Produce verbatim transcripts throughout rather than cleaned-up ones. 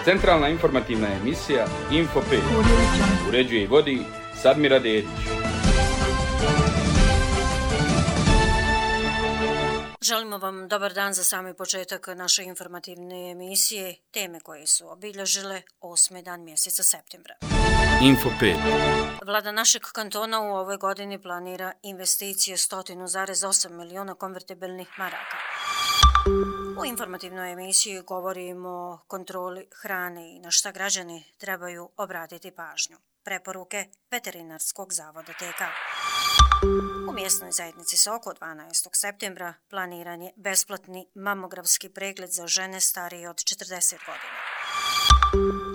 Centralna informativna emisija Info pet. Uređuje i vodi Sadmira Dedić. Želimo vam dobar dan za sami početak naše informativne emisije, teme koje su obilježile osmi dan mjeseca septembra. Info pet. Vlada našeg kantona u ovoj godini planira investicije sto zarez osam miliona konvertibilnih maraka. U informativnoj emisiji govorimo o kontroli hrane i na šta građani trebaju obratiti pažnju. Preporuke Veterinarskog zavoda T K. U mjesnoj zajednici Soko dvanaestog septembra planiran je besplatni mamografski pregled za žene starije od četrdeset godina.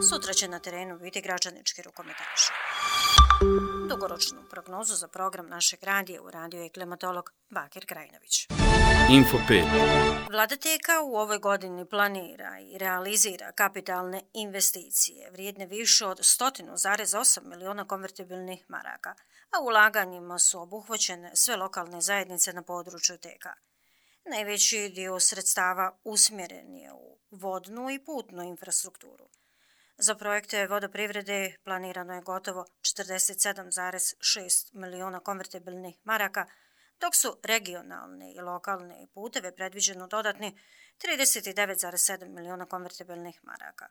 Sutra će na terenu biti građanički rukometaši. Dugoročnu prognozu za program našeg radija uradio je klimatolog Bakir Krajinović. Info pet. Vlada T K u ovoj godini planira i realizira kapitalne investicije vrijedne više od sto zarez osam miliona konvertibilnih maraka, a ulaganjima su obuhvaćene sve lokalne zajednice na području T K. Najveći dio sredstava usmjeren je u vodnu i putnu infrastrukturu. Za projekte vodoprivrede planirano je gotovo četrdeset sedam zarez šest miliona konvertibilnih maraka, dok su regionalne i lokalne puteve predviđeno dodatni trideset devet zarez sedam miliona konvertibilnih maraka.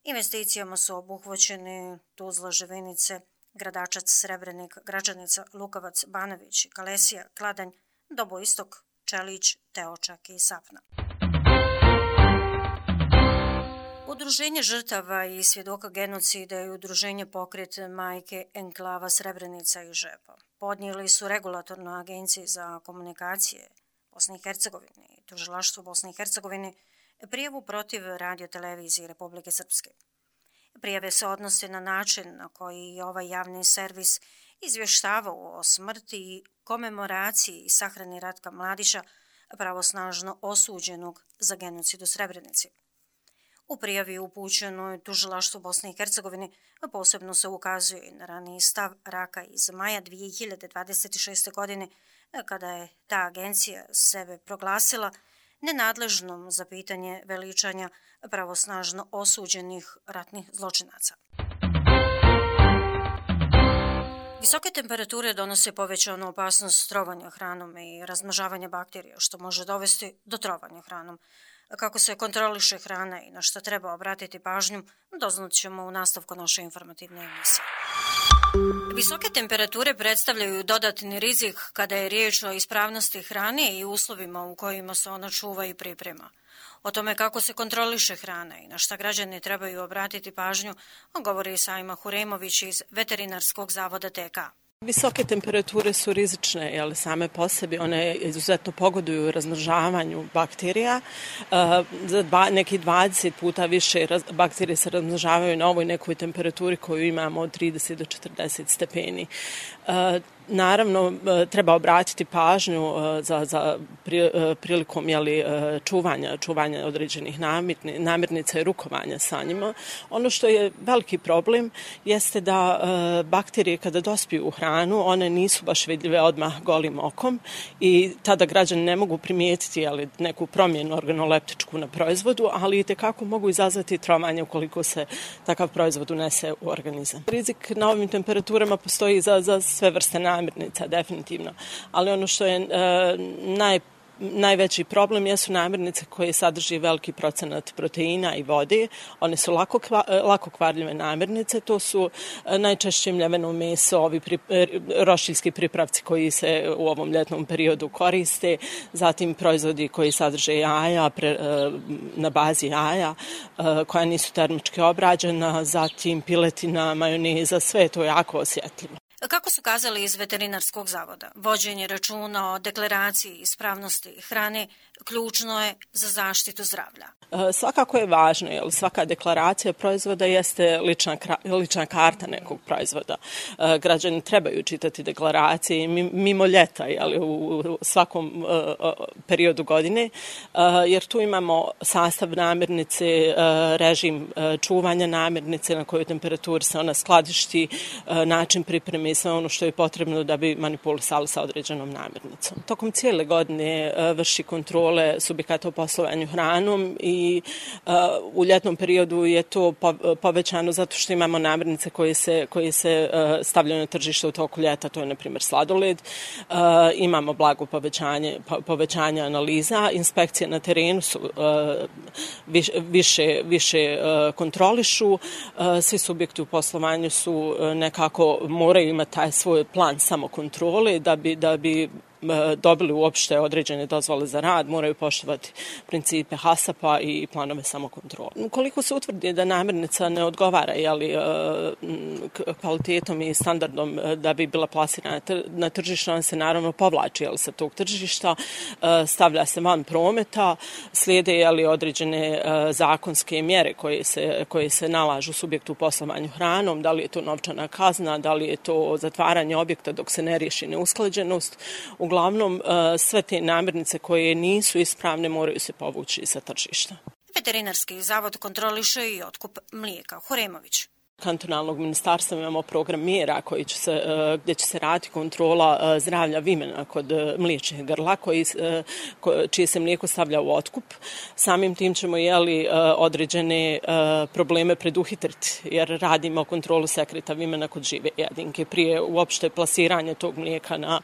Investicijama su obuhvaćeni Tuzla, Živinice, Gradačac, Srebrenik, Gračanica, Lukavac, Banović, Kalesija, Kladanj, Doboistok, Čelić, Teočak i Sapna. Udruženje žrtava i svjedoka genocida i udruženje Pokret majke enklava Srebrenica i Žepa podnijeli su regulatornoj agenciji za komunikacije Bosne i Hercegovine i tužilaštvu Bosne i Hercegovine prijavu protiv radiotelevizije Republike Srpske. Prijave se odnose na način na koji je ovaj javni servis izvještavao o smrti i komemoraciji i sahrani Ratka Mladića, pravosnažno osuđenog za genocid u Srebrenici. U prijavi upućenoj tužilaštvu Bosne i Hercegovine posebno se ukazuje na raniji stav Raka iz maja dvije hiljade dvadeset šeste. godine, kada je ta agencija sebe proglasila nenadležnom za pitanje veličanja pravosnažno osuđenih ratnih zločinaca. Visoke temperature donose povećanu opasnost trovanja hranom i razmnožavanja bakterija, što može dovesti do trovanja hranom. Kako se kontroliše hrana i na što treba obratiti pažnju, doznat ćemo u nastavku naše informativne emisije. Visoke temperature predstavljaju dodatni rizik kada je riječ o ispravnosti hrane i uslovima u kojima se ona čuva i priprema. O tome kako se kontroliše hrana i na šta građani trebaju obratiti pažnju, govori Sajma Huremović iz Veterinarskog zavoda T K. Visoke temperature su rizične, jer same po sebi one izuzetno pogoduju razmnožavanju bakterija. Za dva, neki dvadeset puta više raz, bakterije se razmnožavaju na ovoj nekoj temperaturi koju imamo od trideset do četrdeset stepeni. Naravno, treba obratiti pažnju za, za prilikom jeli, čuvanja, čuvanja određenih namirni, namirnica i rukovanja sa njima. Ono što je veliki problem jeste da bakterije kada dospiju u hranu, one nisu baš vidljive odmah golim okom i tada građani ne mogu primijetiti jeli, neku promjenu organoleptičku na proizvodu, ali itekako mogu izazvati trovanje ukoliko se takav proizvod unese u organizam. Rizik na ovim temperaturama postoji za, za sve vrste namirnica. namirnica, definitivno. Ali ono što je e, naj, najveći problem jesu namirnice koje sadrži veliki procenat proteina i vode. One su lako, kva, lako kvarljive namirnice. To su najčešće mljeveno meso, ovi pri, roštiljski pripravci koji se u ovom ljetnom periodu koriste, zatim proizvodi koji sadrže jaja, pre, na bazi jaja, koja nisu termički obrađena, zatim piletina, majoneza, sve je to jako osjetljivo. Kako su kazali iz Veterinarskog zavoda, vođenje računa o deklaraciji ispravnosti hrane ključno je za zaštitu zdravlja. E, svakako je važno, jer svaka deklaracija proizvoda jeste lična, lična karta nekog proizvoda. E, građani trebaju čitati deklaracije mimo ljeta, jel, u svakom e, periodu godine, e, jer tu imamo sastav namirnice, e, režim e, čuvanja namirnice, na kojoj temperaturi se ona skladišti, e, način pripreme i sve ono što je potrebno da bi manipulisali sa određenom namirnicom. Tokom cijele godine e, vrši kontrolu kontrole subjekata u poslovanju hranom i uh, u ljetnom periodu je to povećano zato što imamo namirnice koje se, koje se uh, stavljaju na tržište u toku ljeta, to je na primjer sladoled. Uh, imamo blago povećanje, po, povećanje analiza, inspekcije na terenu su uh, više, više, više uh, kontrolišu, uh, svi subjekti u poslovanju su uh, nekako moraju imati taj svoj plan samokontrole da bi, da bi dobili uopšte određene dozvole za rad, moraju poštovati principe HASAP-a i planove samokontrole. Ukoliko se utvrdi da namirnica ne odgovara jeli, kvalitetom i standardom da bi bila plasirana na tržište, on se naravno povlači jeli, sa tog tržišta, stavlja se van prometa, slijede jeli, određene zakonske mjere koje se, koje se nalažu subjektu u poslovanju hranom, da li je to novčana kazna, da li je to zatvaranje objekta dok se ne riješi neusklađenost. Uglavnom, sve te namirnice koje nisu ispravne moraju se povući sa tržišta. Veterinarski zavod kontroliše i otkup mlijeka. Huremović. Kantonalnog ministarstva imamo program mjera koji će se, gdje će se raditi kontrola zdravlja vimena kod mliječnih grla koji, čije se mlijeko stavlja u otkup. Samim tim ćemo jeli, određene probleme preduhitriti jer radimo kontrolu sekreta vimena kod žive jedinke prije uopšte plasiranja tog mlijeka na,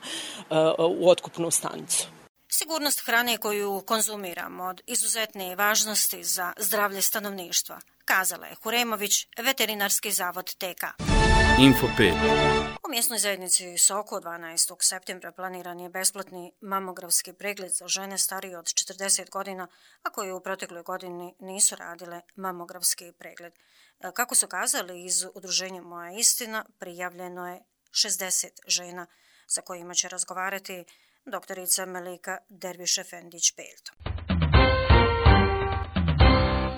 u otkupnu stanicu. Sigurnost hrane koju konzumiramo od izuzetne važnosti za zdravlje stanovništva, kazala je Huremović, Veterinarski zavod T K. Info pet. U mjesnoj zajednici Soko dvanaestog septembra planiran je besplatni mamografski pregled za žene starije od četrdeset godina, a koje u protekloj godini nisu radile mamografski pregled. Kako su kazali iz udruženja Moja istina, prijavljeno je šezdeset žena sa kojima će razgovarati doktorica Melika Derviš-Efendić-Pelto.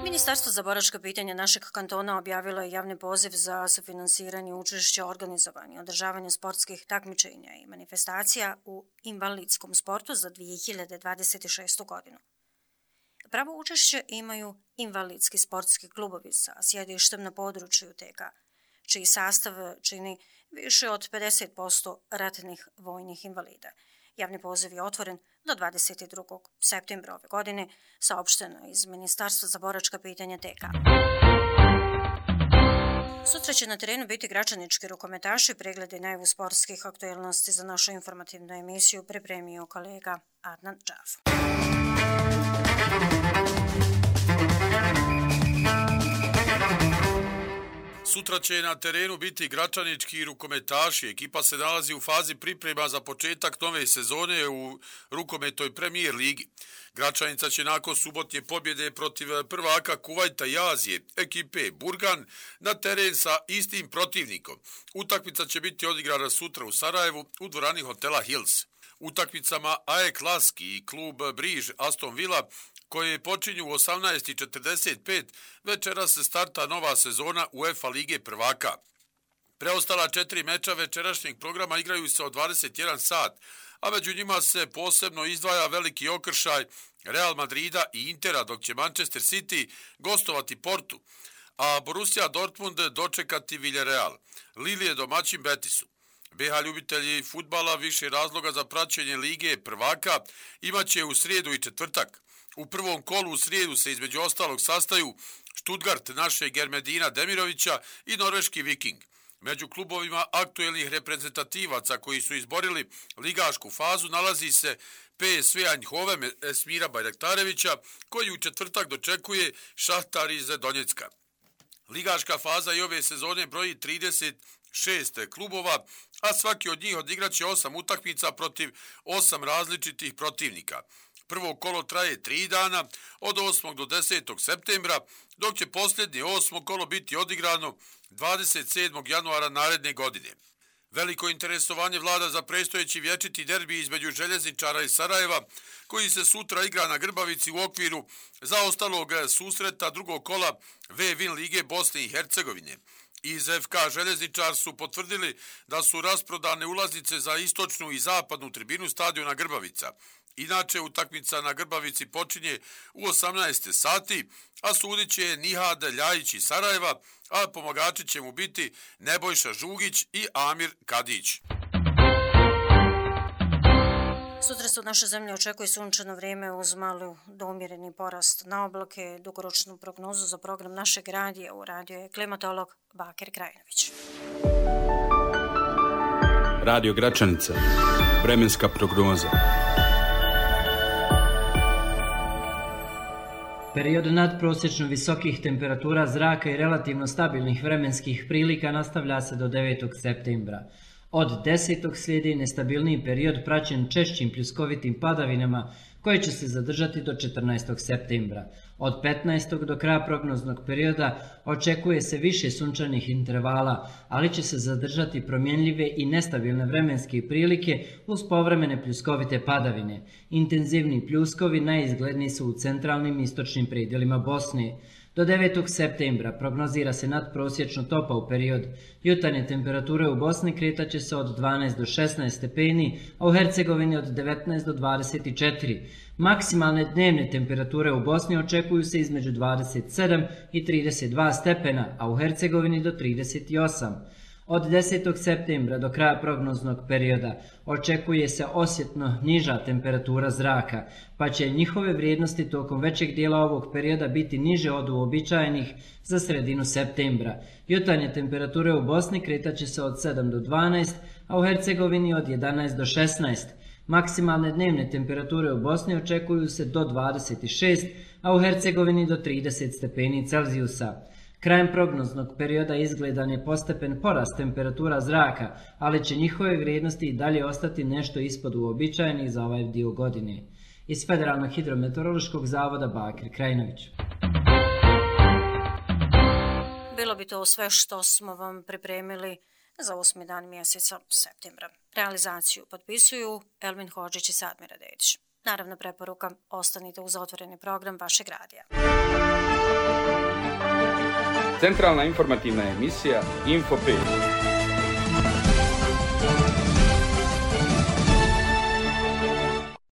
Ministarstvo za boračka pitanja našeg kantona objavilo je javni poziv za sufinansiranje učešća organizovanja i održavanja sportskih takmičenja i manifestacija u invalidskom sportu za dvije hiljade dvadeset šestu. godinu. Pravo učešće imaju invalidski sportski klubovi sa sjedištem na području T K, čiji sastav čini više od pedeset posto ratnih vojnih invalida. Javni poziv je otvoren do dvadeset drugog septembra ove godine, saopšteno iz Ministarstva za boračka pitanja T K. Sutra će na terenu biti gračanički rukometaši. Preglede najavu sportskih aktualnosti za našu informativnu emisiju pripremio kolega Adnan Džaf. Sutra će na terenu biti gračanički rukometaši. Ekipa se nalazi u fazi priprema za početak nove sezone u rukometnoj premijer ligi. Gračanica će nakon subotnje pobjede protiv prvaka Kuvajta i Azije, ekipe Burgan, na teren sa istim protivnikom. Utakmica će biti odigrana sutra u Sarajevu u dvorani hotela Hills. Utakmicama A E K Laski i klub Briž Aston Villa koje počinju u osamnaest i četrdeset pet, večeras se starta nova sezona UEFA Lige prvaka. Preostala četiri meča večerašnjeg programa igraju se od dvadeset jedan sat, a među njima se posebno izdvaja veliki okršaj Real Madrida i Intera, dok će Manchester City gostovati Portu, a Borussia Dortmund dočekati Villarreal. Lille je domaćin Betisu. B H ljubitelji fudbala više razloga za praćenje Lige prvaka imaće u srijedu i četvrtak. U prvom kolu u srijedu se između ostalog sastaju Stuttgart našeg Ermedina Demirovića i norveški Viking. Među klubovima aktuelnih reprezentativaca koji su izborili ligašku fazu nalazi se P S V Eindhoven Esmira Bajraktarevića, koji u četvrtak dočekuje Šahtar iz Donjecka. Ligaška faza i ove sezone broji trideset šest klubova, a svaki od njih odigraće osam utakmica protiv osam različitih protivnika. Prvo kolo traje tri dana, od osmog do desetog septembra, dok će posljednje osmo kolo biti odigrano dvadeset sedmog januara naredne godine. Veliko interesovanje vlada za predstojeći vječiti derbi između Željezničara i Sarajeva, koji se sutra igra na Grbavici u okviru zaostalog susreta drugog kola V-Win Lige Bosne i Hercegovine. Iz F K Željezničar su potvrdili da su rasprodane ulaznice za istočnu i zapadnu tribinu stadiona Grbavica. Inače, utakmica na Grbavici počinje u osamnaest sati, a sudit će Nihad Ljajić iz Sarajeva, a pomagači će mu biti Nebojša Žugić i Amir Kadić. Sutra se od naše zemlje očekuje sunčano vrijeme uz malu do umjereni porast na oblake. Dugoročnu prognozu za program našeg radija uradio je klimatolog Bakir Krajinović. Radio Gračanica. Vremenska prognoza. Period nadprosječno visokih temperatura zraka i relativno stabilnih vremenskih prilika nastavlja se do devetog septembra. Od desetog slijedi nestabilniji period praćen češćim pljuskovitim padavinama koje će se zadržati do četrnaestog septembra. Od petnaestog do kraja prognoznog perioda očekuje se više sunčanih intervala, ali će se zadržati promjenljive i nestabilne vremenske prilike uz povremene pljuskovite padavine. Intenzivni pljuskovi najizgledniji su u centralnim i istočnim predjelima Bosne. Do devetog septembra prognozira se nadprosječno topao period. Jutarnje temperature u Bosni kretat će se od dvanaest do šesnaest stepeni, a u Hercegovini od devetnaest do dvadeset četiri. Maksimalne dnevne temperature u Bosni očekuju se između dvadeset sedam i trideset dva stepena, a u Hercegovini do trideset osam. Od desetog septembra do kraja prognoznog perioda očekuje se osjetno niža temperatura zraka, pa će njihove vrijednosti tokom većeg dijela ovog perioda biti niže od uobičajenih za sredinu septembra. Jutarnje temperature u Bosni kretat će se od sedam do dvanaest, a u Hercegovini od jedanaest do šesnaest. Maksimalne dnevne temperature u Bosni očekuju se do dvadeset šest, a u Hercegovini do trideset stepeni Celzijusa. Krajem prognoznog perioda izgledan je postepen porast temperatura zraka, ali će njihove vrijednosti i dalje ostati nešto ispod uobičajenih za ovaj dio godine. Iz Federalnog hidrometeorološkog zavoda Bakir Krajinović. Bilo bi to sve što smo vam pripremili za osmi dan mjeseca septembra. Realizaciju potpisuju Elmin Hodžić i Sadmira Dedić. Naravno, preporuka, ostanite uz otvoreni program vašeg radija. Centralna informativna emisija Info pet.